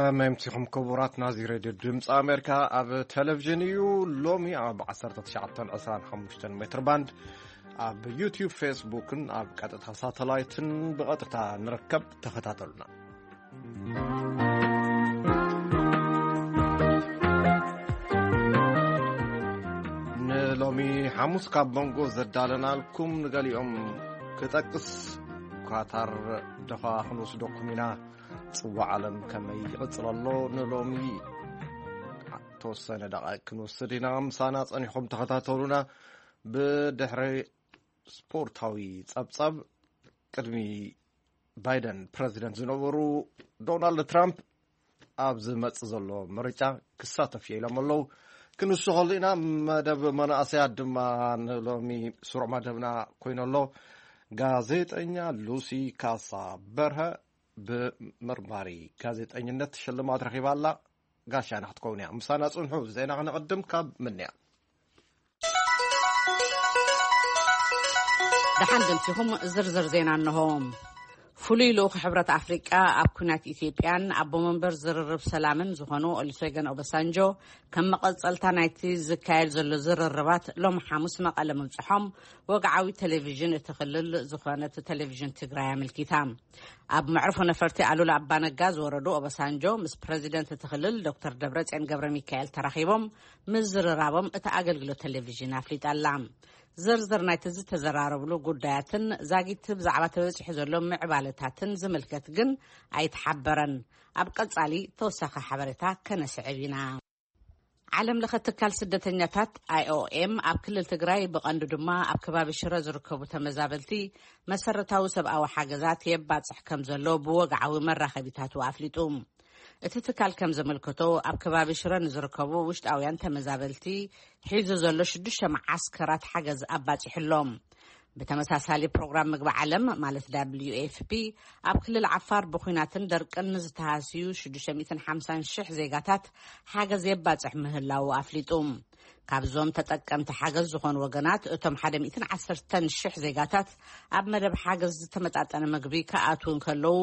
ኣመምቲኹም ክቡራት ናዚ ሬድዮ ድምፂ ኣሜሪካ ኣብ ቴሌቪዥን እዩ። ሎሚ ኣብ ዓሰርተ ትሽዓተ ዕስራን ሓሙሽተን ሜትር ባንድ ኣብ ዩቲዩብ፣ ፌስቡክን ኣብ ቀጥታ ሳተላይትን ብቐጥታ ንርከብ። ተኸታተሉና። ንሎሚ ሓሙስ ካብ መንጎ ዘዳለናልኩም ንገሊኦም ክጠቅስ፣ ኳታር ደኻ ክንወስደኩም ኢና። ጽዋዕ ዓለም ከመይ ይቕጽል ኣሎ? ንሎሚ ተወሰነ ደቓይቕ ክንወስድ ኢና። ምሳና ጸኒኹም ተኸታተሉና። ብድሕሪ ስፖርታዊ ጸብጻብ፣ ቅድሚ ባይደን ፕረዚደንት ዝነበሩ ዶናልድ ትራምፕ ኣብ ዝመጽእ ዘሎ ምርጫ ክሳተፍ እየ ኢሎም ኣለዉ። ክንሱ ከሉ ኢና። መደብ መናእሰያት ድማ ንሎሚ ስሩዕ መደብና ኮይኑ ኣሎ። ጋዜጠኛ ሉሲ ካሳ በርሀ ብመርማሪ ጋዜጠኝነት ሽልማት ረኺባ ኣላ። ጋሻና ክትከውን እያ። ምሳና ጽንሑ። ዜና ክነቐድም ካብ ምንያ። ደሓን ደምሲኹም። ዝርዝር ዜና እንሆ። ፍሉይ ልኡኽ ሕብረት ኣፍሪቃ ኣብ ኩናት ኢትዮጵያን ኣቦ መንበር ዝርርብ ሰላምን ዝኾኑ ኦሉሴገን ኦባሳንጆ፣ ከም መቐጸልታ ናይቲ ዝካየድ ዘሎ ዝርርባት፣ ሎም ሓሙስ መቐለ ምብጽሖም ወግዓዊ ቴሌቪዥን እቲ ክልል ዝኾነት ቴሌቪዥን ትግራይ ኣመልኪታ። ኣብ መዕርፎ ነፈርቲ ኣሉላ ኣባነጋ ዝወረዱ ኦባሳንጆ፣ ምስ ፕረዚደንት እቲ ክልል ዶክተር ደብረጽዮን ገብረ ሚካኤል ተራኺቦም ምዝርራቦም እቲ ኣገልግሎት ቴሌቪዥን ኣፍሊጣ ኣላ። ዝርዝር ናይቲ ዝተዘራረብሉ ጉዳያትን ዛጊት ብዛዕባ ተበጺሑ ዘሎ ምዕባለታትን ዝምልከት ግን ኣይተሓበረን። ኣብ ቀጻሊ ተወሳኺ ሓበሬታ ከነስዕብ ኢና። ዓለም ለኸ ትካል ስደተኛታት ኣይኦኤም ኣብ ክልል ትግራይ፣ ብቐንዱ ድማ ኣብ ከባቢ ሽረ ዝርከቡ ተመዛበልቲ፣ መሰረታዊ ሰብኣዊ ሓገዛት የባጽሕ ከም ዘሎ ብወግዓዊ መራኸቢታቱ ኣፍሊጡ። እቲ ትካል ከም ዘመልከቶ፣ ኣብ ከባቢ ሽረ ንዝርከቡ ውሽጣውያን ተመዛበልቲ ሒዙ ዘሎ ሽዱሽተ መዓስከራት ሓገዝ ኣባጺሑ ኣሎ። ብተመሳሳሊ፣ ፕሮግራም ምግቢ ዓለም፣ ማለት ደብሊዩ ኤፍ ፒ፣ ኣብ ክልል ዓፋር ብኹናትን ደርቅን ንዝተሃስዩ ሽዱሽተ ሚእትን ሓምሳን ሽሕ ዜጋታት ሓገዝ የባጽሕ ምህላዉ ኣፍሊጡ። ካብዞም ተጠቀምቲ ሓገዝ ዝኾኑ ወገናት፣ እቶም ሓደ ሚእትን ዓሰርተን ሽሕ ዜጋታት ኣብ መደብ ሓገዝ ዝተመጣጠነ ምግቢ ክኣትዉ እንከለዉ፣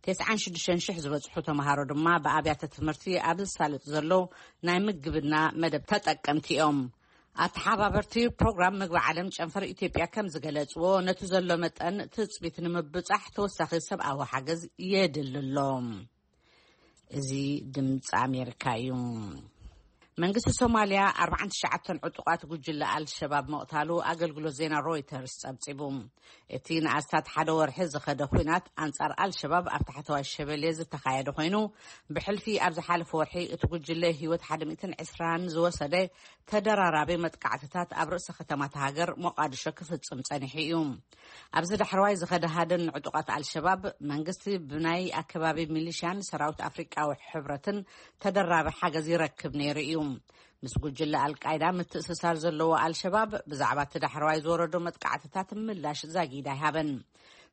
ተስዓን ሽዱሽተን ሽሕ ዝበጽሑ ተምሃሮ ድማ ብኣብያተ ትምህርቲ ኣብ ዝሳለጥ ዘሎ ናይ ምግብና መደብ ተጠቀምቲ እዮም። ኣተሓባበርቲ ፕሮግራም ምግቢ ዓለም ጨንፈር ኢትዮጵያ ከም ዝገለጽዎ፣ ነቲ ዘሎ መጠን ትጽቢት ንምብጻሕ ተወሳኺ ሰብኣዊ ሓገዝ የድሊ ኣሎ። እዚ ድምፂ ኣሜሪካ እዩ። መንግስቲ ሶማልያ ኣርባዓን ትሽዓተን ዕጡቓት ጉጅለ ኣልሸባብ ምቕታሉ ኣገልግሎት ዜና ሮይተርስ ጸብጺቡ። እቲ ንኣስታት ሓደ ወርሒ ዝኸደ ኲናት ኣንጻር ኣልሸባብ ኣብ ታሕተዋይ ሸበሌ ዝተኻየደ ኮይኑ፣ ብሕልፊ ኣብ ዝሓለፈ ወርሒ እቲ ጉጅለ ህይወት ሓደ ሚእትን ዕስራን ዝወሰደ ተደራራቢ መጥቃዕትታት ኣብ ርእሰ ከተማ እታ ሃገር ሞቃዲሾ ክፍጽም ጸኒሑ እዩ። ኣብዚ ዳሕረዋይ ዝኸደ ሃድን ንዕጡቓት ኣልሸባብ፣ መንግስቲ ብናይ ኣከባቢ ሚሊሽያን ሰራዊት ኣፍሪቃዊ ሕብረትን ተደራቢ ሓገዝ ይረክብ ነይሩ እዩ። ምስ ጉጅለ ኣልቃይዳ ምትእስሳር ዘለዎ ኣልሸባብ፣ ብዛዕባ እቲ ዳሕረዋይ ዝወረዶ መጥቃዕትታት ምላሽ ዛጊድ ኣይሃበን።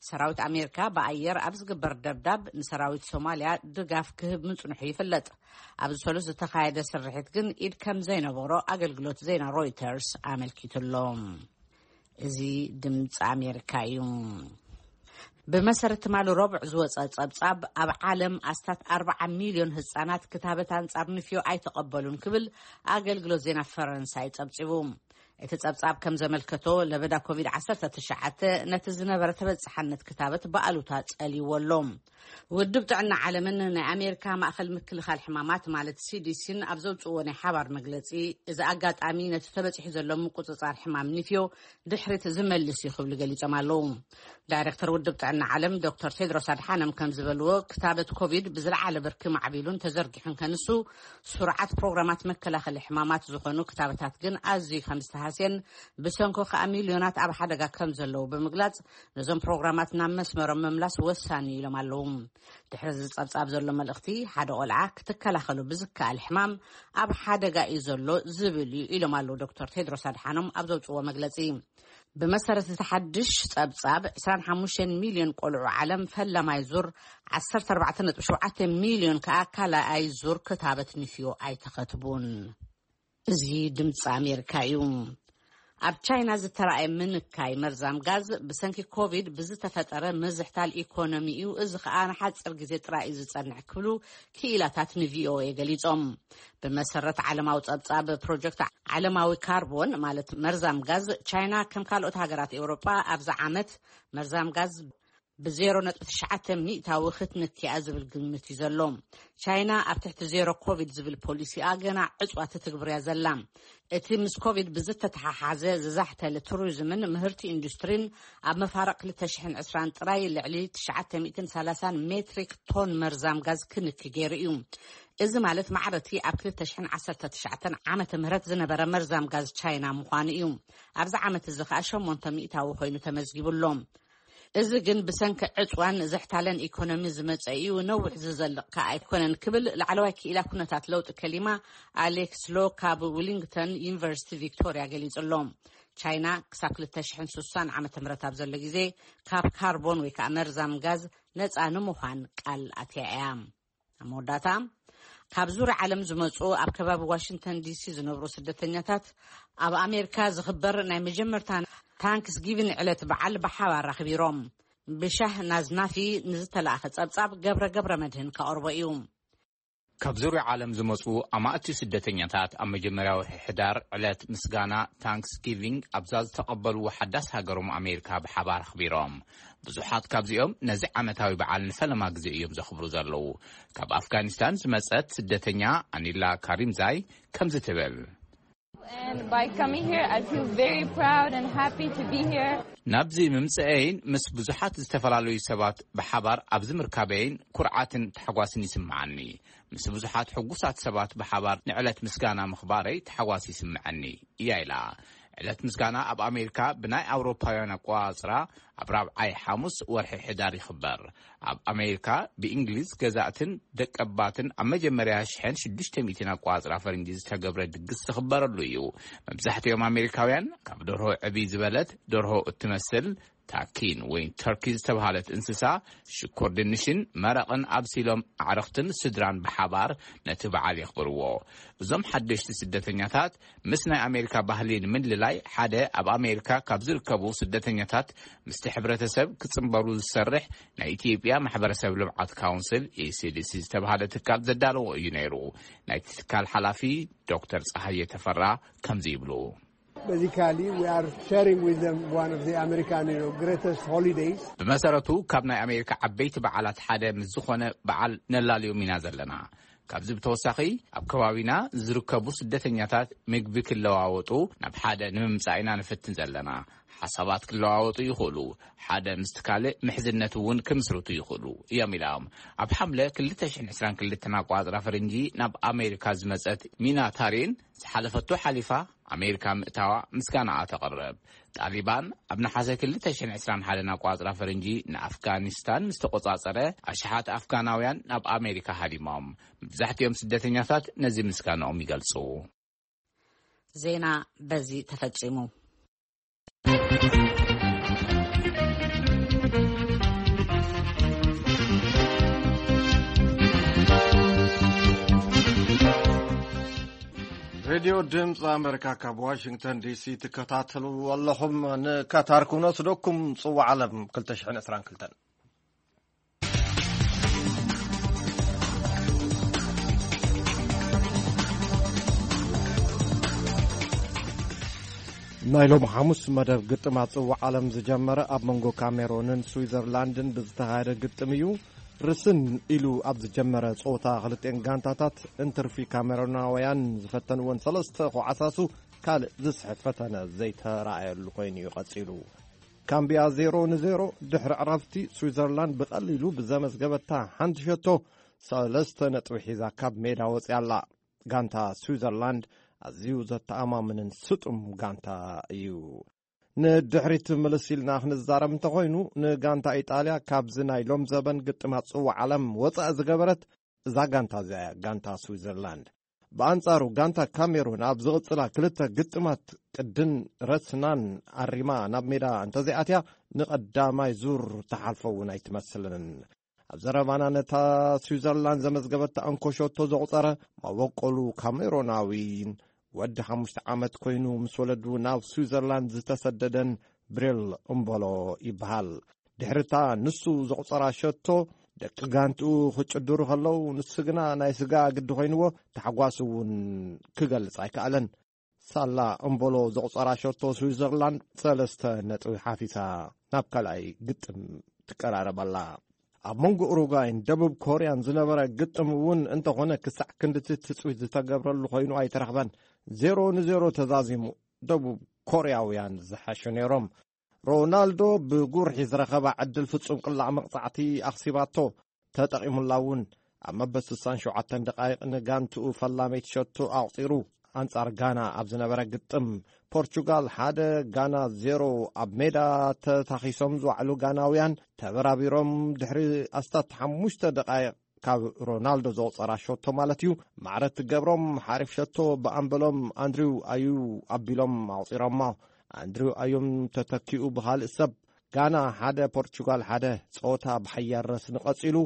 ሰራዊት ኣሜሪካ ብኣየር ኣብ ዝግበር ደብዳብ ንሰራዊት ሶማልያ ድጋፍ ክህብ ምጽንሑ ይፍለጥ። ኣብዚ ሰሉስ ዝተኻየደ ስርሒት ግን ኢድ ከም ዘይነበሮ ኣገልግሎት ዜና ሮይተርስ ኣመልኪቱ ኣሎ። እዚ ድምፂ ኣሜሪካ እዩ። ብመሰረት ትማሊ ረቡዕ ዝወፀ ፀብፃብ፣ ኣብ ዓለም ኣስታት ኣርባዓ ሚልዮን ህፃናት ክታበት ኣንፃር ንፍዮ ኣይተቐበሉን ክብል ኣገልግሎት ዜና ፈረንሳይ ፀብፂቡ። እቲ ጸብጻብ ከም ዘመልከቶ፣ ለበዳ ኮቪድ ዓሰርተ ትሽዓተ ነቲ ዝነበረ ተበጻሕነት ክታበት ብኣሉታ ጸልይዎ ኣሎ። ውድብ ጥዕና ዓለምን ናይ ኣሜሪካ ማእኸል ምክልኻል ሕማማት፣ ማለት ሲዲሲን፣ ኣብ ዘውጽእዎ ናይ ሓባር መግለጺ፣ እዚ ኣጋጣሚ ነቲ ተበጺሑ ዘሎ ምቁጽጻር ሕማም ንፍዮ ድሕሪት ዝመልስ እዩ ክብሉ ገሊጾም ኣለዉ። ዳይሬክተር ውድብ ጥዕና ዓለም ዶክተር ቴድሮስ ኣድሓኖም ከም ዝበልዎ፣ ክታበት ኮቪድ ብዝለዓለ ብርኪ ማዕቢሉን ተዘርጊሑን ከንሱ፣ ስሩዓት ፕሮግራማት መከላኸሊ ሕማማት ዝኾኑ ክታበታት ግን ኣዝዩ ከም ዝተሃስየን ብሰንኩ ከኣ ሚልዮናት ኣብ ሓደጋ ከም ዘለዉ ብምግላጽ፣ ነዞም ፕሮግራማት ናብ መስመሮም ምምላስ ወሳኒ ኢሎም ኣለዉ። ድሕሪ እዚ ጸብጻብ ዘሎ መልእኽቲ፣ ሓደ ቆልዓ ክትከላኸሉ ብዝከኣል ሕማም ኣብ ሓደጋ እዩ ዘሎ ዝብል እዩ ኢሎም ኣለዉ ዶክተር ቴድሮስ ኣድሓኖም ኣብ ዘውጽእዎ መግለጺ። ብመሰረት እቲ ሓድሽ ጸብጻብ፣ ዕስራን ሓሙሽተን ሚልዮን ቆልዑ ዓለም ፈላማይ ዙር፣ ዓሰርተ ኣርባዕተ ነጥቢ ሸውዓተ ሚልዮን ከኣ ካልኣይ ዙር ክታበት ንፍዮ ኣይተኸትቡን። እዚ ድምፂ ኣሜሪካ እዩ። ኣብ ቻይና ዝተራእየ ምንካይ መርዛም ጋዝ ብሰንኪ ኮቪድ ብዝተፈጠረ ምዝሕታል ኢኮኖሚ እዩ፣ እዚ ከኣ ንሓጺር ግዜ ጥራይ እዩ ዝጸንሕ ክብሉ ክኢላታት ንቪኦኤ ገሊጾም። ብመሰረት ዓለማዊ ጸብጻብ ፕሮጀክት ዓለማዊ ካርቦን፣ ማለት መርዛም ጋዝ፣ ቻይና ከም ካልኦት ሃገራት ኤውሮጳ ኣብዚ ዓመት መርዛም ጋዝ ብ ዜሮ ነጥቢ ትሽዓተ ሚእታዊ ክትንክያ ዝብል ግምት እዩ ዘሎ። ቻይና ኣብ ትሕቲ ዜሮ ኮቪድ ዝብል ፖሊሲኣ ገና ዕጽዋ ትትግብርያ ዘላ። እቲ ምስ ኮቪድ ብዝተተሓሓዘ ዝዛሕተለ ቱሪዝምን ምህርቲ ኢንዱስትሪን ኣብ መፋርቕ ክልተ ሽሕን ዕስራን ጥራይ ልዕሊ ትሽዓተ ሚእትን ሰላሳን ሜትሪክ ቶን መርዛም ጋዝ ክንኪ ገይሩ እዩ። እዚ ማለት ማዕረቲ ኣብ ክልተ ሽሕን ዓሰርተ ትሽዓተን ዓመተ ምህረት ዝነበረ መርዛም ጋዝ ቻይና ምዃኑ እዩ። ኣብዚ ዓመት እዚ ከኣ ሸሞንተ ሚእታዊ ኮይኑ ተመዝጊቡ ኣሎ። እዚ ግን ብሰንኪ ዕጽዋን ዝሕታለን ኢኮኖሚ ዝመጸ እዩ፣ ነዊሕ ዝዘልቕ ከኣ ኣይኮነን ክብል ላዕለዋይ ክኢላ ኩነታት ለውጢ ከሊማ ኣሌክስ ሎ ካብ ዊሊንግተን ዩኒቨርሲቲ ቪክቶሪያ ገሊጹ ኣሎ። ቻይና ክሳብ ክልተ ሽሕን ስሳን ዓመተ ምህረት ኣብ ዘሎ ግዜ ካብ ካርቦን ወይ ከኣ መርዛም ጋዝ ነጻ ንምዃን ቃል ኣትያ እያ። ኣብ መወዳእታ፣ ካብ ዙርያ ዓለም ዝመጹ ኣብ ከባቢ ዋሽንግተን ዲሲ ዝነብሩ ስደተኛታት ኣብ ኣሜሪካ ዝኽበር ናይ መጀመርታ ታንክስ ጊቪን ዕለት በዓል ብሓባር ኣኽቢሮም። ብሻህ ናዝናፊ ንዝተላእኸ ጸብጻብ ገብረ ገብረ መድህን ከቕርቦ እዩ። ካብ ዙርያ ዓለም ዝመጹ ኣማእቲ ስደተኛታት ኣብ መጀመርያ ወርሒ ሕዳር ዕለት ምስጋና ታንክስ ጊቪንግ ኣብዛ ዝተቐበልዎ ሓዳስ ሃገሮም ኣሜሪካ ብሓባር ኣኽቢሮም። ብዙሓት ካብዚኦም ነዚ ዓመታዊ በዓል ንፈለማ ግዜ እዮም ዘኽብሩ ዘለዉ። ካብ ኣፍጋኒስታን ዝመጸት ስደተኛ ኣኒላ ካሪምዛይ ከምዚ ትብል። And by coming here, I feel very proud and happy to be here. ናብዚ ምምጽአይን ምስ ብዙሓት ዝተፈላለዩ ሰባት ብሓባር ኣብዚ ምርካበይን ኩርዓትን ታሕጓስን ይስምዓኒ። ምስ ብዙሓት ሕጉሳት ሰባት ብሓባር ንዕለት ምስጋና ምኽባረይ ታሕጓስ ይስምዐኒ እያ ኢላ። ዕለት ምስጋና ኣብ ኣሜሪካ ብናይ ኣውሮፓውያን ኣቆጻጽራ ኣብ ራብዓይ ሓሙስ ወርሒ ሕዳር ይኽበር። ኣብ ኣሜሪካ ብእንግሊዝ ገዛእትን ደቀባትን ኣብ መጀመርያ ሽሕን ሽዱሽተ ሚእትን ኣቆጻጽራ ፈረንጂ ዝተገብረ ድግስ ዝኽበረሉ እዩ። መብዛሕትኦም ኣሜሪካውያን ካብ ደርሆ ዕብይ ዝበለት ደርሆ እትመስል ታኪን ወይ ተርኪ ዝተባህለት እንስሳ ሽኮር ድንሽን መረቕን ኣብሲሎም ኣዕርኽትን ስድራን ብሓባር ነቲ በዓል የኽብርዎ። እዞም ሓደሽቲ ስደተኛታት ምስ ናይ ኣሜሪካ ባህሊ ንምልላይ ሓደ ኣብ ኣሜሪካ ካብ ዝርከቡ ስደተኛታት ምስቲ ሕብረተሰብ ክጽንበሩ ዝሰርሕ ናይ ኢትዮጵያ ማሕበረሰብ ልምዓት ካውንስል፣ ኢሲዲሲ፣ ዝተባህለ ትካል ዘዳለዎ እዩ ነይሩ። ናይቲ ትካል ሓላፊ ዶክተር ጸሃየ ተፈራ ከምዚ ይብሉ። Basically, we are sharing with them one of the American, you know, greatest holidays. ብመሰረቱ ካብ ናይ ኣሜሪካ ዓበይቲ በዓላት ሓደ ምስ ዝኾነ በዓል ነላልዮም ኢና ዘለና። ካብዚ ብተወሳኺ ኣብ ከባቢና ዝርከቡ ስደተኛታት ምግቢ ክለዋወጡ ናብ ሓደ ንምምጻእ ኢና ንፍትን ዘለና። ሓሳባት ክለዋወጡ ይኽእሉ፣ ሓደ ምስቲ ካልእ ምሕዝነት እውን ክምስርቱ ይኽእሉ እዮም ኢሎም። ኣብ ሓምለ ክልተ ሽሕን ዕስራን ክልተን ኣቆጻጽራ ፈረንጂ ናብ ኣሜሪካ ዝመጸት ሚና ታሪን ዝሓለፈቶ ሓሊፋ ኣሜሪካ ምእታዋ ምስጋናኣ ተቕርብ። ጣሊባን ኣብ ነሓሰ ክልተ ሽሕን ዕስራን ሓደን ኣቆጻጽራ ፈረንጂ ንኣፍጋኒስታን ምስ ተቆጻጸረ ኣሽሓት ኣፍጋናውያን ናብ ኣሜሪካ ሃዲሞም። መብዛሕትኦም ስደተኛታት ነዚ ምስጋናኦም ይገልጹ። ዜና በዚ ተፈጺሙ። ሬድዮ ድምፂ ኣሜሪካ ካብ ዋሽንግተን ዲሲ ትከታተሉ ኣለኹም። ንካታር ክነስደኩም። ፅዋዕ ዓለም ክልተ ሽሕን ዕስራን ክልተን። ናይ ሎም ሓሙስ መደብ ግጥማት ፅዋዕ ዓለም ዝጀመረ ኣብ መንጎ ካሜሮንን ስዊዘርላንድን ብዝተኻየደ ግጥም እዩ። ርስን ኢሉ ኣብ ዝጀመረ ፀወታ ክልቲኤን ጋንታታት እንትርፊ ካሜሮናውያን ዝፈተንወን ሰለስተ ኮዓሳሱ ካልእ ዝስሕት ፈተነ ዘይተራእየሉ ኮይኑ እዩ ቀፂሉ። ካምቢያ ዜሮ ንዜሮ። ድሕሪ ዕረፍቲ ስዊዘርላንድ ብቐሊሉ ብዘመዝገበታ ሓንቲ ሸቶ ሰለስተ ነጥቢ ሒዛ ካብ ሜዳ ወፂኣ ኣላ። ጋንታ ስዊዘርላንድ ኣዝዩ ዘተኣማምንን ስጡም ጋንታ እዩ። ንድሕሪት ምልስ ኢልና ክንዛረብ እንተኾይኑ፣ ንጋንታ ኢጣልያ ካብዚ ናይ ሎም ዘበን ግጥማት ጽዋዕ ዓለም ወጻኢ ዝገበረት እዛ ጋንታ እዚኣ እያ፣ ጋንታ ስዊዘርላንድ። ብኣንጻሩ ጋንታ ካሜሩን ኣብ ዝቕጽላ ክልተ ግጥማት ቅድን ረስናን ኣሪማ ናብ ሜዳ እንተዘይኣትያ ንቐዳማይ ዙር ትሓልፎ እውን ኣይትመስልን። ኣብ ዘረባና ነታ ስዊዘርላንድ ዘመዝገበታ እንኮ ሸቶ ዘቑጸረ መበቆሉ ካሜሮናዊን ወዲ ሓሙሽተ ዓመት ኮይኑ ምስ ወለዱ ናብ ስዊዘርላንድ ዝተሰደደን ብሬል እምበሎ ይበሃል። ድሕርታ ንሱ ዘቑጸራ ሸቶ፣ ደቂ ጋንትኡ ክጭድሩ ከለዉ፣ ንሱ ግና ናይ ስጋ ግዲ ኮይንዎ፣ ታሕጓሱ እውን ክገልጽ ኣይከኣለን። ሳላ እምበሎ ዘቑጸራ ሸቶ ስዊዘርላንድ ሰለስተ ነጥቢ ሓፊሳ ናብ ካልኣይ ግጥም ትቀራረብ ኣላ። ኣብ መንጎ ኡሩጓይን ደቡብ ኮርያን ዝነበረ ግጥም እውን እንተኾነ፣ ክሳዕ ክንድቲ ትጽቢት ዝተገብረሉ ኮይኑ ኣይተረኽበን። ዜሮ ንዜሮ ተዛዚሙ፣ ደቡብ ኮርያውያን ዝሓሹ ነይሮም። ሮናልዶ ብጉርሒ ዝረኸባ ዕድል ፍጹም ቅላዕ መቕጻዕቲ ኣኽሲባቶ፣ ተጠቒሙላ እውን። ኣብ መበል ስሳን ሸውዓተን ደቓይቕ ንጋንትኡ ፈላመይቲ ሸቶ ኣቑጺሩ። ኣንጻር ጋና ኣብ ዝነበረ ግጥም፣ ፖርቹጋል ሓደ፣ ጋና ዜሮ ኣብ ሜዳ ተታኺሶም ዝዋዕሉ ጋናውያን ተበራቢሮም፣ ድሕሪ ኣስታት ሓሙሽተ ደቓይቕ ካብ ሮናልዶ ዘቑጸራ ሸቶ ማለት እዩ፣ ማዕረ ትገብሮም ሓሪፍ ሸቶ ብኣምበሎም ኣንድሪው ኣዩ ኣቢሎም ኣቑጺሮሞ። ኣንድሪው ኣዮም ተተኪኡ ብኻልእ ሰብ። ጋና ሓደ ፖርቹጋል ሓደ። ጸወታ ብሓያል ረስኒ ቀጺሉ።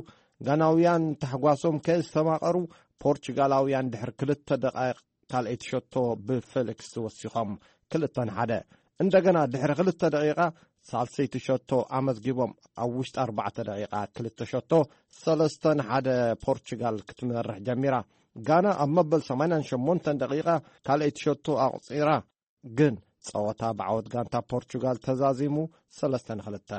ጋናውያን ታሕጓሶም ከየስተማቐሩ፣ ፖርቹጋላውያን ድሕሪ ክልተ ደቓይቕ ካልኣይቲ ሸቶ ብፌሊክስ ወሲኾም ክልተ ንሓደ። እንደገና ድሕሪ ክልተ ደቂቓ ሳልሰይቲ ሸቶ ኣመዝጊቦም። ኣብ ውሽጢ ኣርባዕተ ደቂቓ ክልተ ሸቶ፣ ሰለስተ ንሓደ ፖርቹጋል ክትመርሕ ጀሚራ። ጋና ኣብ መበል ሰማንያን ሸሞንተን ደቂቓ ካልኣይቲ ሸቶ ኣቑጺራ። ግን ጸወታ ብዓወት ጋንታ ፖርቹጋል ተዛዚሙ፣ ሰለስተ ንክልተ።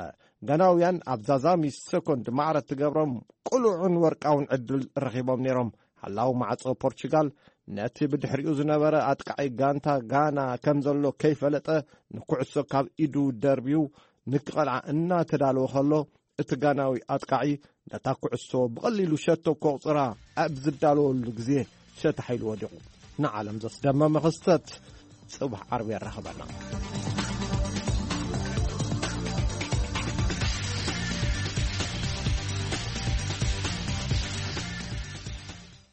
ጋናውያን ኣብ ዛዛሚ ሰኮንድ ማዕረ ትገብሮም ቅሉዕን ወርቃውን ዕድል ረኺቦም ነይሮም። ሓላው ማዕጾ ፖርቹጋል ነቲ ብድሕሪኡ ዝነበረ ኣጥቃዒ ጋንታ ጋና ከም ዘሎ ከይፈለጠ፣ ንኩዕሶ ካብ ኢዱ ደርብዩ ንክቐልዓ እናተዳለወ ከሎ፣ እቲ ጋናዊ ኣጥቃዒ ነታ ኩዕሶ ብቐሊሉ ሸቶ ከቑጽራ ኣብ ዝዳለወሉ ግዜ ሸታሕ ኢሉ ወዲቑ። ንዓለም ዘስደመመ ክስተት ጽባሕ ዓርቢ የራኽበና።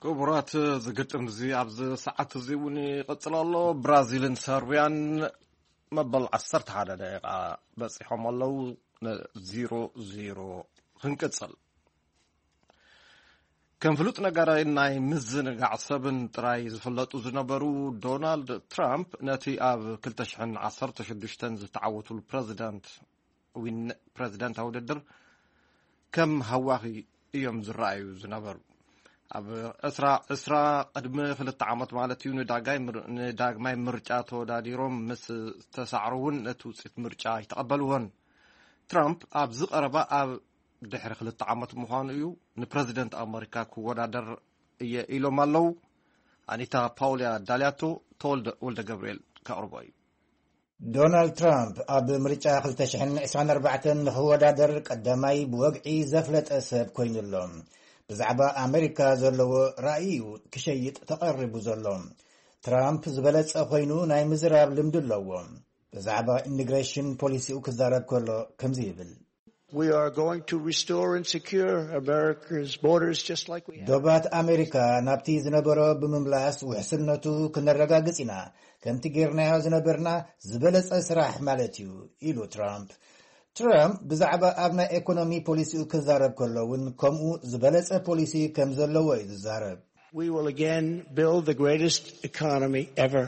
ክቡራት፣ እዚ ግጥም እዚ ኣብዚ ሰዓት እዚ እውን ይቕጽል ኣሎ። ብራዚልን ሰርቢያን መበል ዓሰርተ ሓደ ደቂቓ በጺሖም ኣለዉ። ዜሮ ዜሮ ክንቅጽል። ከም ፍሉጥ ነጋዳይን ናይ ምዝንጋዕ ሰብን ጥራይ ዝፍለጡ ዝነበሩ ዶናልድ ትራምፕ፣ ነቲ ኣብ ክልተ ሽሕን ዓሰርተ ሽዱሽተን ዝተዓወቱሉ ፕረዚደንት ዊን-፣ ፕረዚደንታዊ ውድድር ከም ሃዋኺ እዮም ዝረኣዩ ዝነበሩ። ኣብ ዕስራ ዕስራ፣ ቅድሚ ክልተ ዓመት ማለት እዩ፣ ንዳጋይ ምር-፣ ንዳግማይ ምርጫ ተወዳዲሮም ምስ ተሳዕሩ እውን ነቲ ውፅኢት ምርጫ ኣይተቐበልዎን። ትራምፕ ኣብዚ ቀረባ፣ ኣብ ድሕሪ ክልተ ዓመት ምዃኑ እዩ፣ ንፕረዚደንት ኣመሪካ ክወዳደር እየ ኢሎም ኣለዉ። ኣኒታ ፓውልያ ዳልያቶ፣ ተወልደ ወልደ ገብርኤል ከቕርቦ እዩ። ዶናልድ ትራምፕ ኣብ ምርጫ ክልተ ሽሕን ዕስራን ኣርባዕተን ንኽወዳደር ቀዳማይ ብወግዒ ዘፍለጠ ሰብ ኮይኑ ኣሎ። ብዛዕባ ኣመሪካ ዘለዎ ራእይ እዩ ክሸይጥ ተቐሪቡ ዘሎ። ትራምፕ ዝበለጸ ኮይኑ ናይ ምዝራብ ልምዲ ኣለዎ። ብዛዕባ ኢሚግሬሽን ፖሊሲኡ ክዛረብ ከሎ ከምዚ ይብል። We are going to restore and secure America's borders just like we have. ዶባት ኣሜሪካ ናብቲ ዝነበሮ ብምምላስ ውሕስነቱ ክነረጋግጽ ኢና፣ ከምቲ ጌርናዮ ዝነበርና ዝበለጸ ስራሕ ማለት እዩ፣ ኢሉ ትራምፕ። ትራምፕ ብዛዕባ ኣብ ናይ ኤኮኖሚ ፖሊሲኡ ክዛረብ ከሎ እውን ከምኡ ዝበለጸ ፖሊሲ ከም ዘለዎ እዩ ዝዛረብ። We will again build the greatest economy ever.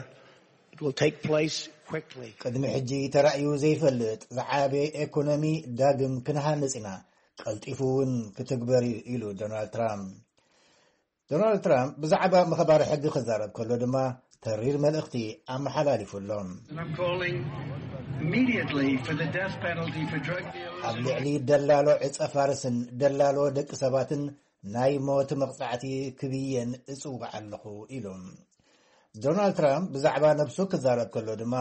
It will take place quickly. ቅድሚ ሕጂ ተራእዩ ዘይፈልጥ ዝዓበየ ኤኮኖሚ ዳግም ክንሃንጽ ኢና፣ ቀልጢፉ እውን ክትግበር እዩ፣ ኢሉ ዶናልድ ትራምፕ። ዶናልድ ትራምፕ ብዛዕባ ምኽባር ሕጊ ክዛረብ ከሎ ድማ ተሪር መልእኽቲ ኣመሓላሊፉ ኣሎ። And I'm calling immediately for the death penalty for drug dealers. ኣብ ልዕሊ ደላሎ ዕጸ ፋርስን ደላሎ ደቂ ሰባትን ናይ ሞት መቕጻዕቲ ክብየን እጽውዕ ኣለኹ፣ ኢሉ። ዶናልድ ትራምፕ ብዛዕባ ነብሱ ክዛረብ ከሎ ድማ፣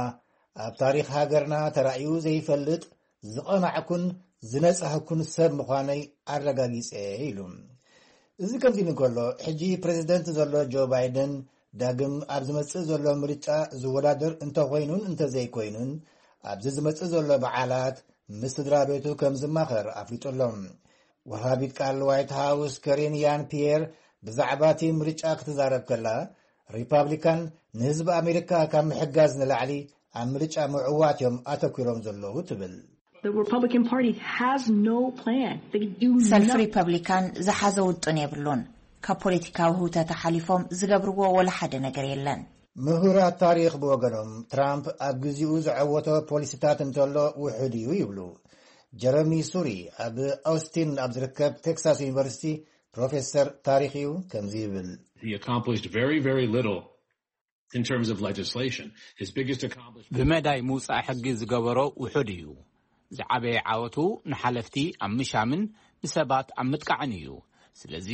ኣብ ታሪኽ ሃገርና ተራእዩ ዘይፈልጥ ዝቐናዕኩን ዝነጻህኩን ሰብ ምዃነይ ኣረጋጊጸ፣ ኢሉ። እዚ ከምዚ ኢሉ እንከሎ፣ ሕጂ ፕረዚደንት ዘሎ ጆ ባይደን ዳግም ኣብ ዝመጽእ ዘሎ ምርጫ ዝወዳደር እንተኾይኑን እንተዘይኮይኑን፣ ኣብዚ ዝመጽእ ዘሎ በዓላት ምስ ስድራ ቤቱ ከም ዝማኸር ኣፍሊጡ ኣሎ። ወሃቢት ቃል ዋይት ሃውስ ከሪን ያን ፒየር ብዛዕባ እቲ ምርጫ ክትዛረብ ከላ፣ ሪፓብሊካን ንህዝቢ ኣሜሪካ ካብ ምሕጋዝ ንላዕሊ ኣብ ምርጫ ምዕዋት እዮም ኣተኲሮም ዘለዉ ትብል። The Republican Party has no plan. They do ሰልፊ nothing. ሪፐብሊካን ዝሓዘ ውጥን የብሉን። ካብ ፖለቲካዊ ህውተት ሓሊፎም ዝገብርዎ ወላ ሓደ ነገር የለን። ምሁራት ታሪኽ ብወገኖም፣ ትራምፕ ኣብ ግዜኡ ዝዐወቶ ፖሊሲታት እንተሎ ውሑድ እዩ ይብሉ። ጀረሚ ሱሪ ኣብ ኦስቲን ኣብ ዝርከብ ቴክሳስ ዩኒቨርሲቲ ፕሮፌሰር ታሪኽ እዩ። ከምዚ ይብል። He accomplished very, very little in terms of legislation. His biggest accomplishment ብመዳይ ምውጻእ ሕጊ ዝገበሮ ውሑድ እዩ። ዝዓበየ ዓወቱ ንሓለፍቲ ኣብ ምሻምን ንሰባት ኣብ ምጥቃዕን እዩ። ስለዚ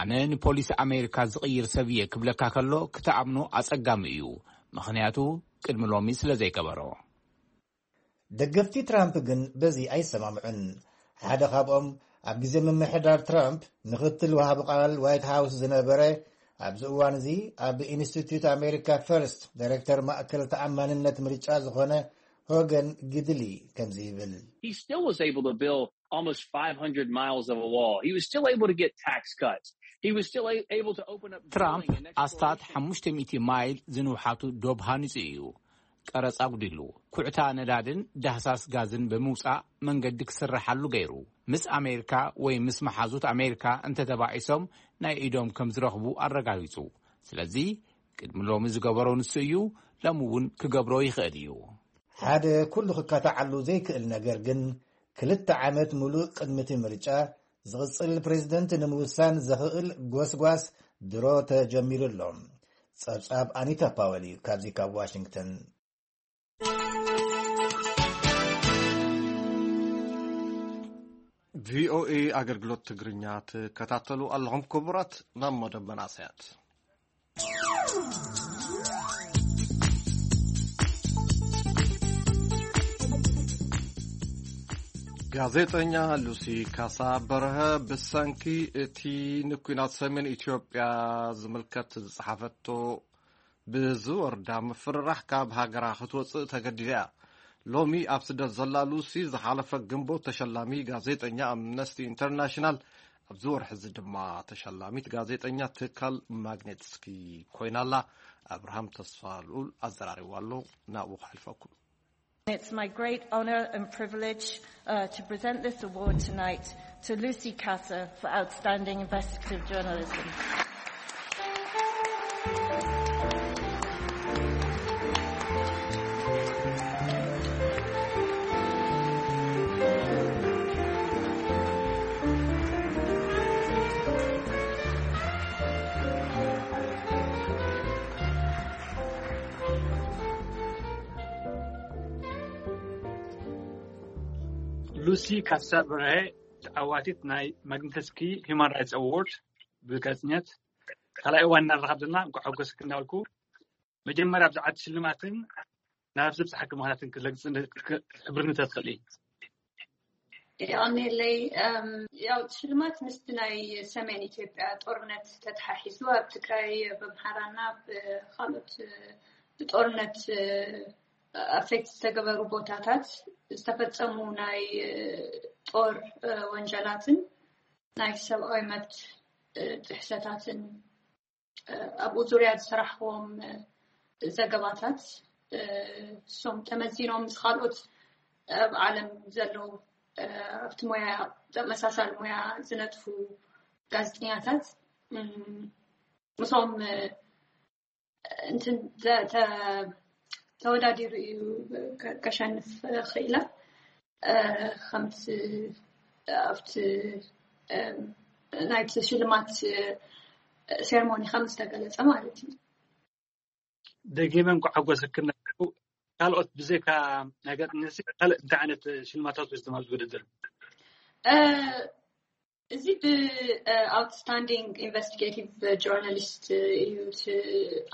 ኣነ ንፖሊሲ ኣሜሪካ ዝቕይር ሰብ እየ ክብለካ ከሎ ክትኣምኖ ኣጸጋሚ እዩ፣ ምኽንያቱ ቅድሚ ሎሚ ስለ ዘይገበሮ። ደገፍቲ ትራምፕ ግን በዚ ኣይሰማምዑን። ሓደ ካብኦም ኣብ ግዜ ምምሕዳር ትራምፕ ምኽትል ወሃቢ ቃል ዋይት ሃውስ ዝነበረ፣ ኣብዚ እዋን እዚ ኣብ ኢንስቲትዩት ኣሜሪካ ፈርስት ዳይሬክተር ማእከል ተኣማንነት ምርጫ ዝኾነ ሆገን ግድሊ ከምዚ ይብል። He still was able to build almost five hundred miles of a wall. He was still able to get tax cuts. He was still a- able to open up ትራምፕ drilling in next ኣስታት generation. ሓሙሽተ ሚእቲ ማይል ዝንውሓቱ ዶብ ሃኒጹ እዩ። ቀረጽ ኣጉዲሉ፣ ኩዕታ ነዳድን ዳህሳስ ጋዝን ብምውጻእ መንገዲ ክስርሓሉ ገይሩ። ምስ ኣሜሪካ ወይ ምስ መሓዙት ኣሜሪካ እንተተባኢሶም ናይ ኢዶም ከም ዝረኽቡ ኣረጋጊጹ። ስለዚ ቅድሚ ሎሚ ዝገበሮ ንሱ እዩ፣ ሎሚ እውን ክገብሮ ይኽእል እዩ። ሓደ ኩሉ ክካታዓሉ ዘይክእል ነገር ግን፣ ክልተ ዓመት ሙሉእ ቅድሚ እቲ ምርጫ ዝቕጽል ፕሬዝደንት ንምውሳን ዘኽእል ጎስጓስ ድሮ ተጀሚሩ ኣሎ። ጸብጻብ ኣኒታ ፓወል እዩ፣ ካብዚ ካብ ዋሽንግተን። ቪኦኤ ኣገልግሎት ትግርኛ ትከታተሉ ኣለኹም ክቡራት። ናብ መደብ መናእሰያት። ጋዜጠኛ ሉሲ ካሳ በርሀ ብሰንኪ እቲ ንኲናት ሰሜን ኢትዮጵያ ዝምልከት ዝጸሓፈቶ ብዝወርዳ ምፍርራሕ ካብ ሃገራ ክትወጽእ ተገዲዳ እያ። ሎሚ ኣብ ስደት ዘላ ሉሲ፣ ዝሓለፈ ግንቦት ተሸላሚ ጋዜጠኛ ኣምነስቲ ኢንተርናሽናል፣ ኣብዚ ወርሒ እዚ ድማ ተሸላሚት ጋዜጠኛ ትካል ማግኔትስኪ ኮይና ኣላ። ኣብርሃም ተስፋ ልኡል ኣዘራሪቡ ኣሎ፣ ናብኡ ከሕልፈኩም። It's my great honor and privilege uh, to present this award tonight to Lucy Kassa for outstanding investigative journalism. ሉሲ ካሳ በርሀ፣ ተዓዋቲት ናይ ማግኒተስኪ ሂውማን ራይትስ ኣዋርድ ብጋዜጠኛት፣ ካልኣይ እዋን እናረኻብ ዘለና፣ እንኳዕ ሓጎሰኪ እናበልኩ፣ መጀመርያ ብዛዕባ እቲ ሽልማትን ናብ ዘብፅሓኪ ምኽንያትን ክትለግፅ እንደ-፣ ክሕብርኒ ተትኽእሊ? የቐንየለይ። እም፣ ያው እቲ ሽልማት ምስቲ ናይ ሰሜን ኢትዮጵያ ጦርነት ተተሓሒዙ ኣብ ትግራይ፣ ኣብ ኣምሓራና ኣብ ካልኦት፣ እ፣ ብጦርነት፣ እ፣ ኣፌክት ዝተገበሩ ቦታታት ዝተፈጸሙ ናይ፣ እ፣ ጦር፣ እ፣ ወንጀላትን ናይ ሰብኣዊ መብት፣ እ፣ ጥሕሰታትን፣ እ፣ ኣብኡ ዙርያ ዝሰራሕዎም፣ እ፣ ዘገባታት፣ እ፣ እሶም ተመዚኖም ምስ ካልኦት ኣብ ዓለም ዘለዉ፣ እ፣ ኣብቲ ሞያ፣ ተመሳሳሊ ሞያ ዝነጥፉ ጋዜጠኛታት፣ እም፣ ምስኦም፣ እ፣ እንትን ተ-፣ ተ-፣ ተወዳዲሩ እዩ ከ-፣ ከሸንፍ ክኢላ። እ፣ ከምቲ ኣብቲ፣ እ፣ ናይቲ ሽልማት፣ እ፣ ሴርሞኒ ከም ዝተገለጸ ማለት እዩ። ደጊመ እንኳዕ ሓጎሰክን። ካልኦት ብዘይካ ናይ ጋዜጠኛሲ ካልእ እንታይ ዓይነት ሽልማታት ወሲድኩም ኣብዚ ውድድር? እ፣ እዚ ብ ኣውትስታንዲንግ ኢንቨስቲጌቲቭ ጆርናሊስት እዩ እቲ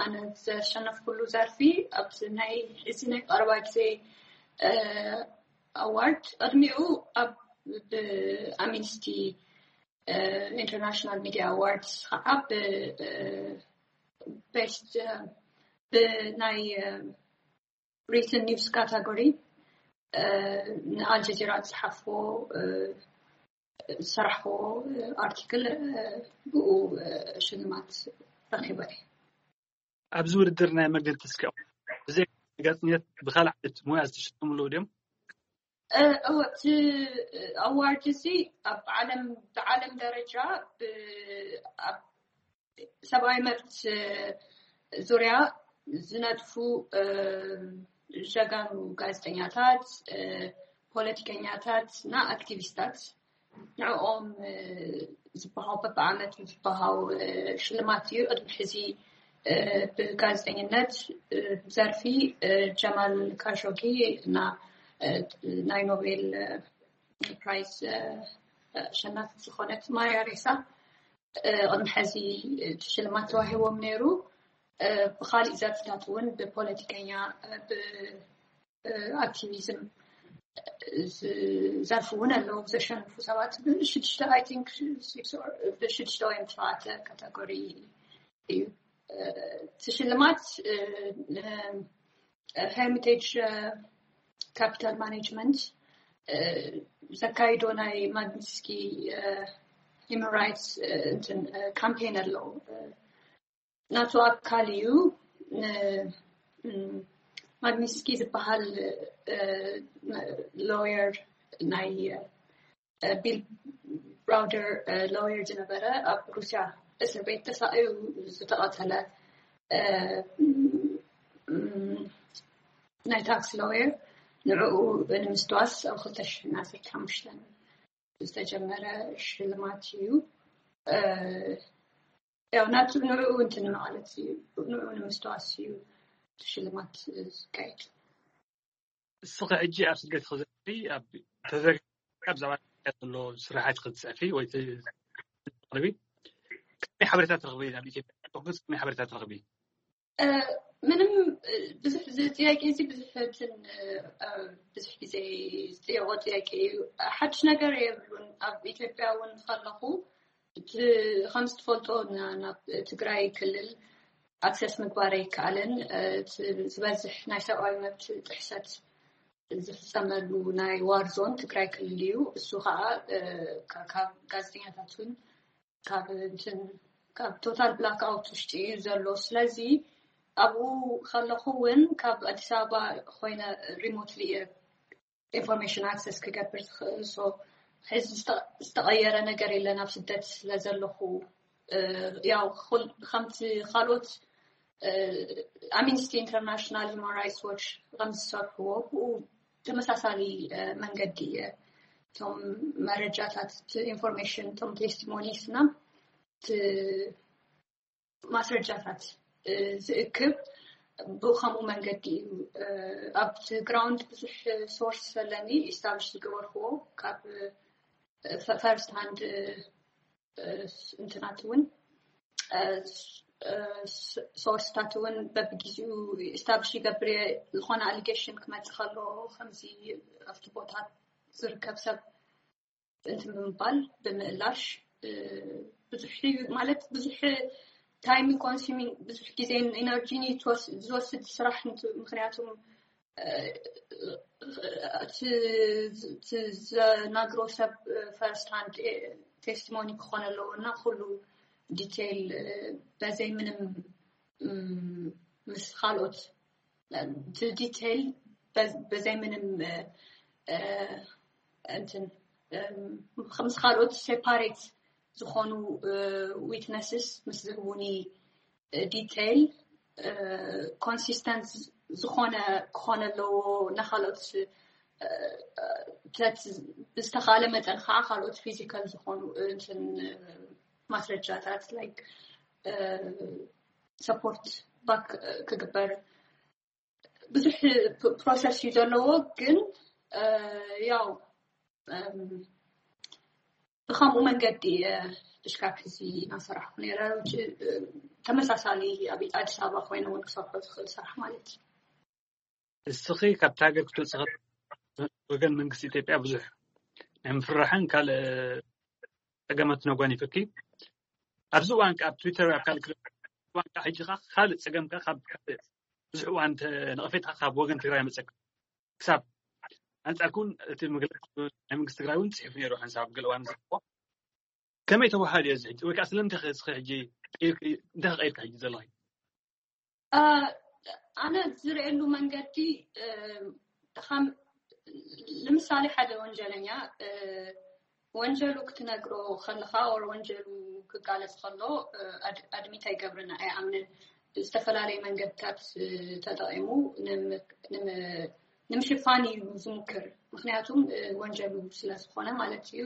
ኣነ ዘሸነፍኩሉ ዘርፊ። ኣብቲ ናይ እዚ ናይ ቀረባ ግዜ፣ እ፣ ኣዋርድ፣ ቅድሚኡ ኣብ ብኣምነስቲ፣ እ፣ ኢንተርናሽናል ሚድያ ኣዋርድስ ከዓ ብ፣ እ፣ ቤስት፣ እ፣ ብናይ፣ እ፣ ሪትን ኒውስ ካታጎሪ፣ እ፣ ንኣልጀዚራ ዝጸሓፍዎ፣ እ፣ ዝሰራሕዎ፣ እ፣ ኣርቲክል፣ እ፣ ብኡ፣ እ፣ ሽልማት ረኺበ እየ። ኣብዚ ውድድር ናይ መግለጺ እስኪ ብዘይ ጋዜጠኛት ብኻልእ ዓይነት ሞያ ዝተሸለሙ ኣለዉ ድዮም? እ፣ እወ፣ እቲ ኣዋርድ እዚ ኣብ ዓለም፣ ብዓለም ደረጃ ብ-፣ ኣብ ሰብኣዊ መብት ዙርያ ዝነጥፉ ጀጋኑ ጋዜጠኛታት፣ ፖለቲከኛታት እና ኣክቲቪስታት ንዕኦም ዝበሃው በብዓመት ዝበሃው ሽልማት እዩ። ቅድሚ ሕዚ ብጋዜጠኝነት ዘርፊ ጀማል ካሾጊ እና ናይ ኖቤል ፕራይዝ ኣሸናፊት ዝኾነት ማርያ ሬሳ ቅድሚ ሕዚ ሽልማት ተዋሂቦም ነይሩ። ብካሊእ ዘርፍታት እውን ብፖለቲከኛ ብኣክቲቪዝም ዘርፍ እውን ኣለዉ ዘሸንፉ ሰባት ብሽዱሽተ I think ብሽዱሽተ ወይ ብሸውዓተ ካተጎሪ እዩ። እቲ ሽልማት ሄሪቴጅ ካፒታል ማኔጅመንት ዘካይዶ ናይ ማግኒስኪ ሂማን ራይትስ እንትን ካምፔን ኣለዉ። ናቱ ኣካል እዩ። ማግኒስኪ ዝበሃል ሎየር ናይ ቢል ብራውደር ሎየር ዝነበረ ኣብ ሩስያ እስር ቤት ተሳእዩ ዝተቐተለ ናይ ታክስ ሎየር ንዕኡ ንምስትዋስ ኣብ ክልተ ሽሕን ዓሰርተ ሓሙሽተን ዝተጀመረ ሽልማት እዩ። ያው ናቱ ንዕኡ እንትን ማለት እዩ፣ ንዕኡ ንምስትዋስ እዩ ሽልማት ዝካየድ። እስኺ ሕጂ ኣብ ስደት ክዘሪ ኣብ ተዘሪ ኣብ ዛባ ዘሎ ስራሓት ክትፅሕፊ ወይ ትቕርቢ ከመይ ሓበሬታ ትረኽቢ? ኣብ ኢትዮጵያ ከመይ ሓበሬታ ትረኽቢ? ምንም ብዙሕ እዚ ጥያቄ እዚ ብዙሕ እንትን ብዙሕ ግዜ ዝጥየቆ ጥያቄ እዩ። ሓድሽ ነገር የብሉን። ኣብ ኢትዮጵያ እውን ከለኹ ከምዝትፈልጦ ናብ ትግራይ ክልል ኣክሰስ ምግባር ኣይከኣልን። ዝበዝሕ ናይ ሰብኣዊ መብት ጥሕሰት ዝፍፀመሉ ናይ ዋር ዞን ትግራይ ክልል እዩ። እሱ ከዓ ካብ ጋዜጠኛታት እውን ካብ እንትን ካብ ቶታል ብላክ ኣውት ውሽጢ እዩ ዘሎ። ስለዚ ኣብኡ ከለኹ እውን ካብ ኣዲስ ኣበባ ኮይነ ሪሞትሊ እየ ኢንፎርሜሽን ኣክሰስ ክገብር ዝኽእል። ሶ ሕዚ ዝተቐየረ ነገር የለን ኣብ ስደት ስለ ዘለኹ። ያው ከምቲ ካልኦት ኣምነስቲ ኢንተርናሽናል፣ ሂማን ራይትስ ዎች ከምዝሰርሕዎ ብኡ ተመሳሳሊ መንገዲ እየ እቶም መረጃታት፣ ኢንፎርሜሽን፣ እቶም ቴስቲሞኒስ እና ማስረጃታት ዝእክብ ብከምኡ መንገዲ እዩ። ኣብቲ ግራውንድ ብዙሕ ሶርስ ዘለኒ ኢስታብሊሽ ዝገበርክዎ ካብ ፈርስት ሃንድ እንትናት እውን ሶርስታት እውን በብግዜኡ ኢስታብሊሽ ይገብር እየ። ዝኾነ ኣሊጌሽን ክመፅእ ከሎ ከምዚ ኣብቲ ቦታ ዝርከብ ሰብ እንትን ብምባል ብምእላሽ ብዙሕ ማለት ብዙሕ ታይም ኮንሱሚንግ ብዙሕ ግዜን ኢነርጂን ዝወስድ ስራሕ። ምክንያቱም ዘናግሮ ሰብ ፈርስት ሃንድ ቴስቲሞኒ ክኾን ኣለዎ እና ኩሉ ዲቴይል በዘይ ምንም ምስ ካልኦት ዲቴይል በዘይ ምንም እንትን ምስ ካልኦት ሴፓሬት ዝኾኑ ዊትነስስ ምስ ዝህቡኒ ዲቴይል ኮንሲስተንት ዝኾነ ክኾነ ኣለዎ። ንካልኦት ብዝተኻለ መጠን ከዓ ካልኦት ፊዚካል ዝኾኑ እንትን ማስረጃታት ላይክ ሰፖርት ባክ ክግበር ብዙሕ ፕሮሰስ እዩ ዘለዎ። ግን ያው ብከምኡ መንገዲ እሽካብ ሕዚ እናሰራሕኩ ነረ። ተመሳሳሊ ኣብ ኣዲስ ኣበባ ኮይነ እውን ክሰርሖ ዝኽእል ስራሕ ማለት እዩ። እስኺ ካብቲ ሃገር ክትወፅእ ወገን መንግስቲ ኢትዮጵያ ብዙሕ ናይ ምፍርራሕን ካልእ ፀገማት ነጓኒፈኪ። ኣብዚ እዋን ኣብ ትዊተር ኣብ ካልእ እዋን ሕጂ ኸዓ ካልእ ፀገም ካብ ብዙሕ እዋን ነቐፌታ ካብ ወገን ትግራይ መፀካ ክሳብ ኣንፃርኩም እቲ መግለፂ ናይ መንግስቲ ትግራይ እውን ፅሒፉ ነይሩ ሓንሳብ ገለ እዋን ዝረክቦ ከመይ ተባሃሉ እዩ እዚ ሕጂ ወይ ከዓ ስለምንታይ እስኺ ሕጂ እንታይ ክቀይርካ ሕጂ ዘለኺ? ኣነ ዝርእየሉ መንገዲ ንምሳሌ ሓደ ወንጀለኛ ወንጀሉ ክትነግሮ ከለኻ ወር ወንጀሉ ክጋለፅ ከሎ ኣድሚት ኣይገብርን ኣይኣምንን። ዝተፈላለየ መንገድታት ተጠቒሙ ንምሽፋን እዩ ዝሙክር። ምክንያቱም ወንጀሉ ስለዝኾነ ማለት እዩ።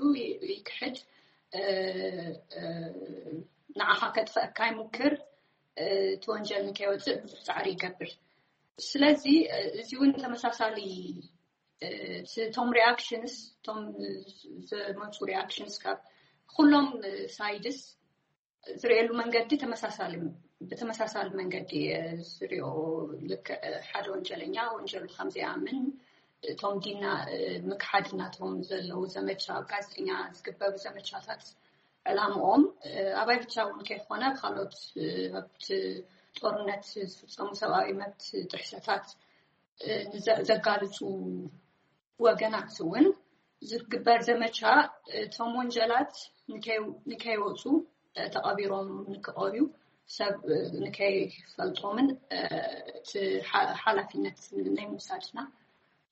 ይክሕድ፣ ንዓኻ ከጥፈእካ ይሙክር፣ እቲ ወንጀል ንከይወፅእ ብዙሕ ፃዕሪ ይገብር። ስለዚ እዚ እውን ተመሳሳሊ እቶም ሪኣክሽንስ እቶም ዝመፁ ሪኣክሽንስ ካብ ኩሎም ሳይድስ ዝርእየሉ መንገዲ ብተመሳሳሊ መንገዲ ዝሪኦ። ልክዕ ሓደ ወንጀለኛ ወንጀሉ ከምዘይኣምን እቶም ዲና ምክሓድ እናቶም ዘለዉ ዘመቻ ኣብ ጋዜጠኛ ዝግበሩ ዘመቻታት ዕላምኦም ኣባይ ብቻ እውን ከይኮነ ካልኦት ኣብቲ ጦርነት ዝፍፀሙ ሰብኣዊ መብት ጥሕሰታት ዘጋልፁ ወገናት እውን ዝግበር ዘመቻ እቶም ወንጀላት ንከይወፁ ተቐቢሮም ንክቐርዩ ሰብ ንከይፈልጦምን ሓላፊነት ናይ ምውሳድና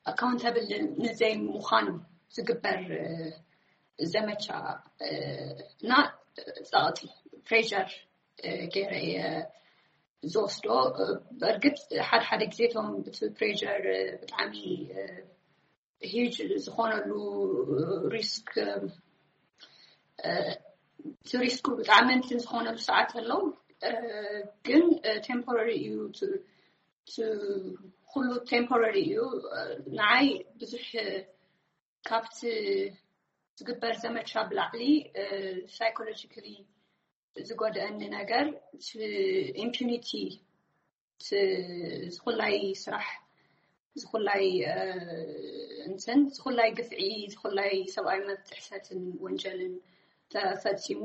ኣካውንታብል ንዘይ ምዃኑ ዝግበር ዘመቻ እና ፀቕጢ ፕሬር ገይረ ዝወስዶ። በእርግጥ ሓደ ሓደ ግዜ እቶም እቲ ፕሬር ብጣዕሚ ሂጅ ዝኾነሉ ሪስክ እቲ ሪስኩ ብጣዕሚ እንትን ዝኾነሉ ሰዓት ኣለዉ። ግን ቴምፖራሪ እዩ፣ ኩሉ ቴምፖራሪ እዩ። ንዓይ ብዙሕ ካብቲ ዝግበር ዘመቻ ብላዕሊ ሳይኮሎጂካሊ ዝጎደአኒ ነገር ኢምፒዩኒቲ ዝኩላይ ስራሕ ዝኩላይ እንትን ዝኩላይ ግፍዒ ዝኩላይ ሰብኣዊ መብት ጥሕሰትን ወንጀልን ተፈፂሙ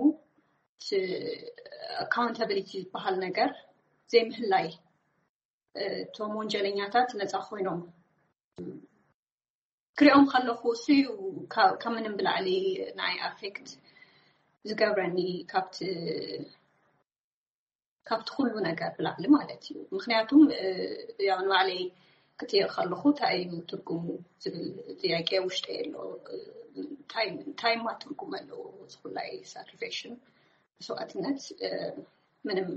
ኣካውንታብሊቲ ዝበሃል ነገር ዘይምህላይ እቶም ወንጀለኛታት ነፃ ኮይኖም ክሪኦም ከለኹ እሱ እዩ ካብ ምንም ብላዕሊ ናይ ኣፌክት ዝገብረኒ ካብቲ ካብቲ ኩሉ ነገር ብላዕሊ ማለት እዩ። ምክንያቱም ያው ንባዕለይ ክጥይቕ ከለኹ እንታይ እዩ ትርጉሙ ዝብል ጥያቄ ውሽጠ የሎ። እንታይ እማ ትርጉም ኣለዎ ዝኩላይ ሳክሪፊኬሽን መስዋእትነት ምንም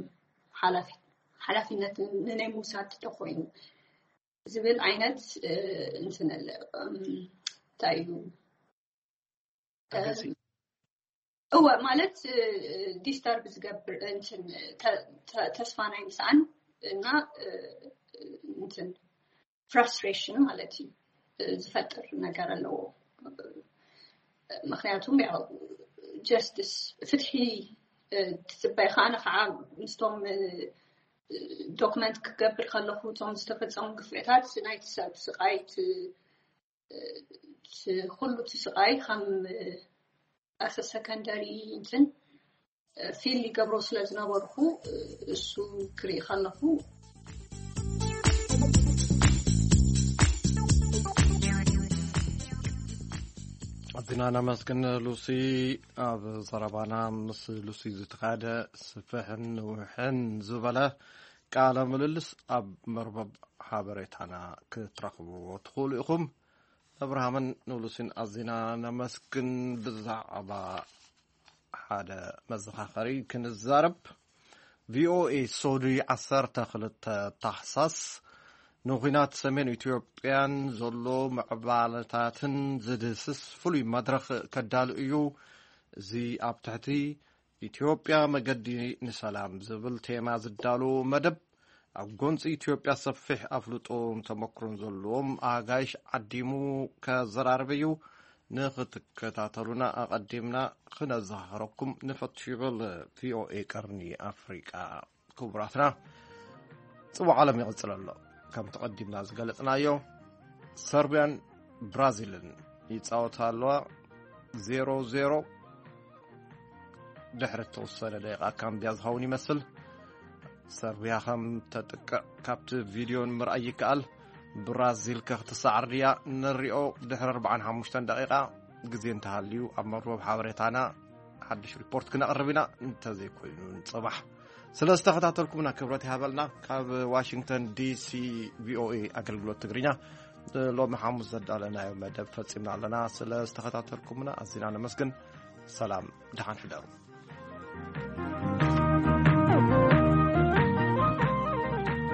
ሓላፊነት ንናይ ምውሳድ ተኮይኑ ዝብል ዓይነት እንትን እንታይ እዩ እወ ማለት ዲስተርብ ዝገብር እንትን ተስፋ ናይ ምስኣን እና እንትን ፍራስትሬሽን ማለት እዩ ዝፈጥር ነገር ኣለዎ። ምክንያቱም ያው ጀስትስ ፍትሒ ትፅበይ ከዓነ ከዓ ምስቶም ዶክመንት ክገብር ከለኹ እቶም ዝተፈፀሙ ግፍዕታት ናይቲ ሰብ ስቃይ ኩሉ እቲ ስቃይ ከም ኣሰ ሰከንደሪ እንትን ፊል ይገብሮ ስለ ዝነበርኩ እሱ ክርኢ ከለኹ ኣዚና ነመስግን ሉሲ። ኣብ ዘረባና ምስ ሉሲ ዝተኻደ ስፍሕን ንውሕን ዝበለ ቃለ ምልልስ ኣብ መርበብ ሓበሬታና ክትረኽብዎ ትኽእሉ ኢኹም። ኣብርሃምን ንሉሲን ኣዚና ነመስግን። ብዛዕባ ሓደ መዘኻኸሪ ክንዛረብ። ቪኦኤ ሶዱይ ዓሰርተ ክልተ ታሕሳስ ንኹናት ሰሜን ኢትዮጵያን ዘሎ ምዕባለታትን ዝድህስስ ፍሉይ መድረኽ ከዳሉ እዩ። እዚ ኣብ ትሕቲ ኢትዮጵያ መገዲ ንሰላም ዝብል ቴማ ዝዳሎ መደብ ኣብ ጎንፂ ኢትዮጵያ ሰፊሕ ኣፍልጦን ተመክሮን ዘለዎም ኣጋይሽ ዓዲሙ ከዘራርብ እዩ። ንክትከታተሉና ኣቐዲምና ክነዘኻኽረኩም ንፈቱ ይብል ቪኦኤ ቀርኒ ኣፍሪቃ። ክቡራትና ጽዋዕ ዓለም ይቕጽል ኣሎ። ከም ተቐዲምና ዝገለጽናዮ ሰርቢያን ብራዚልን ይጻወታ ኣለዋ። ዜሮ ዜሮ ድሕሪ እተወሰነ ደቂቓ ካምቢያ ዝኸውን ይመስል። ሰርቢያ ከም ተጥቅዕ ካብቲ ቪድዮ ንምርኣይ ይከኣል። ብራዚል ከ ክትሰዓር ድያ? ንሪኦ ድሕሪ ኣርባዓን ሓሙሽተን ደቂቓ ግዜ እንተሃልዩ ኣብ መርበብ ሓበሬታና ሓድሽ ሪፖርት ክነቕርብ ኢና። እንተዘይኮይኑ ንፅባሕ ስለ ዝተኸታተልኩምና ክብረት ይሃበልና። ካብ ዋሽንግተን ዲሲ ቪኦኤ ኣገልግሎት ትግርኛ ሎሚ ሓሙስ ዘዳለናዮ መደብ ፈፂምና ኣለና። ስለ ዝተኸታተልኩምና ኣዚና ነመስግን። ሰላም፣ ደሓን ሕደሩ።